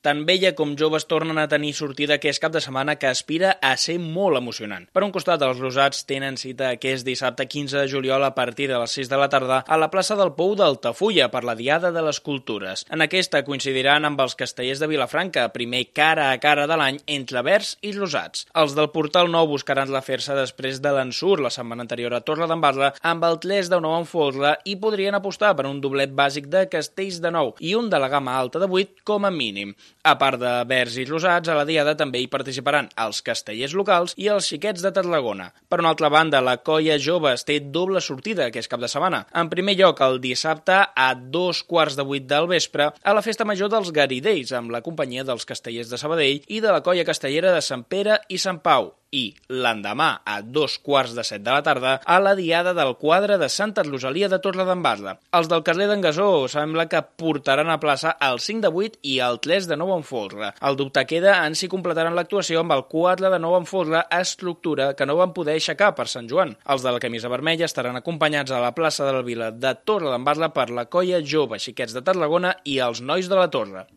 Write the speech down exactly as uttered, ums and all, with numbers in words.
Tant vella com joves tornen a tenir sortida aquest cap de setmana que aspira a ser molt emocionant. Per un costat, els rosats tenen cita aquest dissabte quinze de juliol a partir de les sis de la tarda a la plaça del Pou d'Altafulla per la Diada de les Cultures. En aquesta coincidiran amb els castellers de Vilafranca, primer cara a cara de l'any entre verds i rosats. Els del Portal Nou buscaran la fer-se després de l'ensurt la setmana anterior a Torredembarra amb el tres de nou en folre i podrien apostar per un doblet bàsic de castells de nou i un de la gamma alta de vuit com a mínim. A part de verds i rosats, a la Diada també hi participaran els castellers locals i els xiquets de Tarragona. Per una altra banda, la colla joves té doble sortida aquest cap de setmana. En primer lloc, el dissabte a dos quarts de vuit del vespre a la Festa Major dels Garidells, amb la companyia dels castellers de Sabadell i de la colla castellera de Sant Pere i Sant Pau. I l'endemà, a dos quarts de set de la tarda, a la Diada del quadre de Santa Rosalia de Torredembarra. Els del carrer d'en Gasó sembla que portaran a plaça el cinc de vuit i el tres de nou en folre. El dubte queda en si completaran l'actuació amb el quatre de nou en folre estructura que no van poder aixecar per Sant Joan. Els de la camisa vermella estaran acompanyats a la plaça de la Vila de Torredembarra per la colla jove, xiquets de Tarragona i els nois de la Torre.